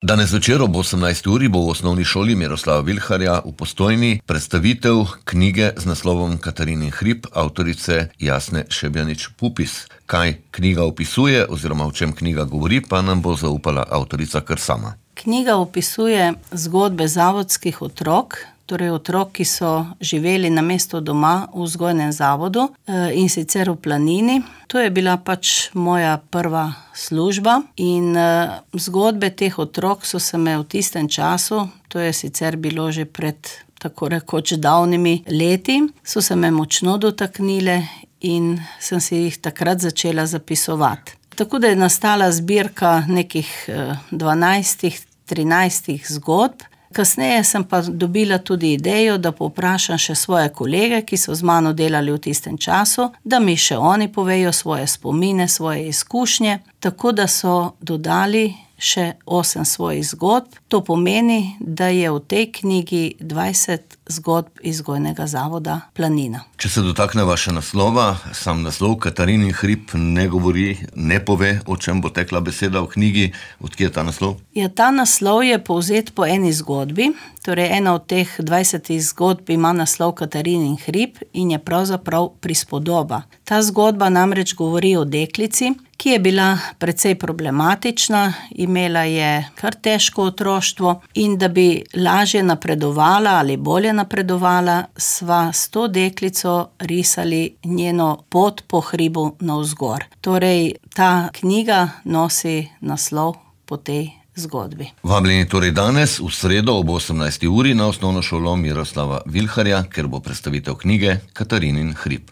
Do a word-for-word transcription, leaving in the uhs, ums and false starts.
Danes večer ob osemnajsti uri bo v osnovni šoli Miroslava Vilharja v Postojni predstavitev knjige z naslovom Katarinin hrib avtorice Jasne Šebjanič-Pupis. Kaj knjiga opisuje oziroma o čem knjiga govori, pa nam bo zaupala avtorica kar sama. Knjiga opisuje zgodbe zavodskih otrok, torej otrok, ki so živeli namesto doma v vzgojnem zavodu in sicer v Planini. To je bila pač moja prva služba in zgodbe teh otrok so se me v tistem času, to je sicer bilo že pred tako rekoč davnimi leti, so se me močno dotaknile in sem si jih takrat začela zapisovati. Tako da je nastala zbirka nekih dvanajstih, trinajstih zgodb. Kasneje sem pa dobila tudi idejo, da povprašam še svoje kolege, ki so z mano delali v tistem času, da mi še oni povejo svoje spomine, svoje izkušnje, tako da so dodali še osem svojih zgodb. To pomeni, da je v tej knjigi dvajset zgodb iz vzgojnega zavoda Planina. Če se dotakneva še naslova, sam naslov Katarinin hrib ne govori, ne pove, o čem bo tekla beseda v knjigi. Odkje je ta naslov? Ja, ta naslov je povzet po eni zgodbi, torej ena od teh dvajsetih zgodb ima naslov Katarinin hrib in je pravzaprav prispodoba. Ta zgodba namreč govori o deklici, ki je bila precej problematična, imela je kar težko otroštvo in da bi lažje napredovala ali bolje napredovala, sva s to deklico risali njeno pot po hribu navzgor. Torej, ta knjiga nosi naslov po tej zgodbi. Vabljeni torej danes v sredo ob osemnajsti uri na osnovno šolo Miroslava Vilharja, ker bo predstavitev knjige Katarinin hrib.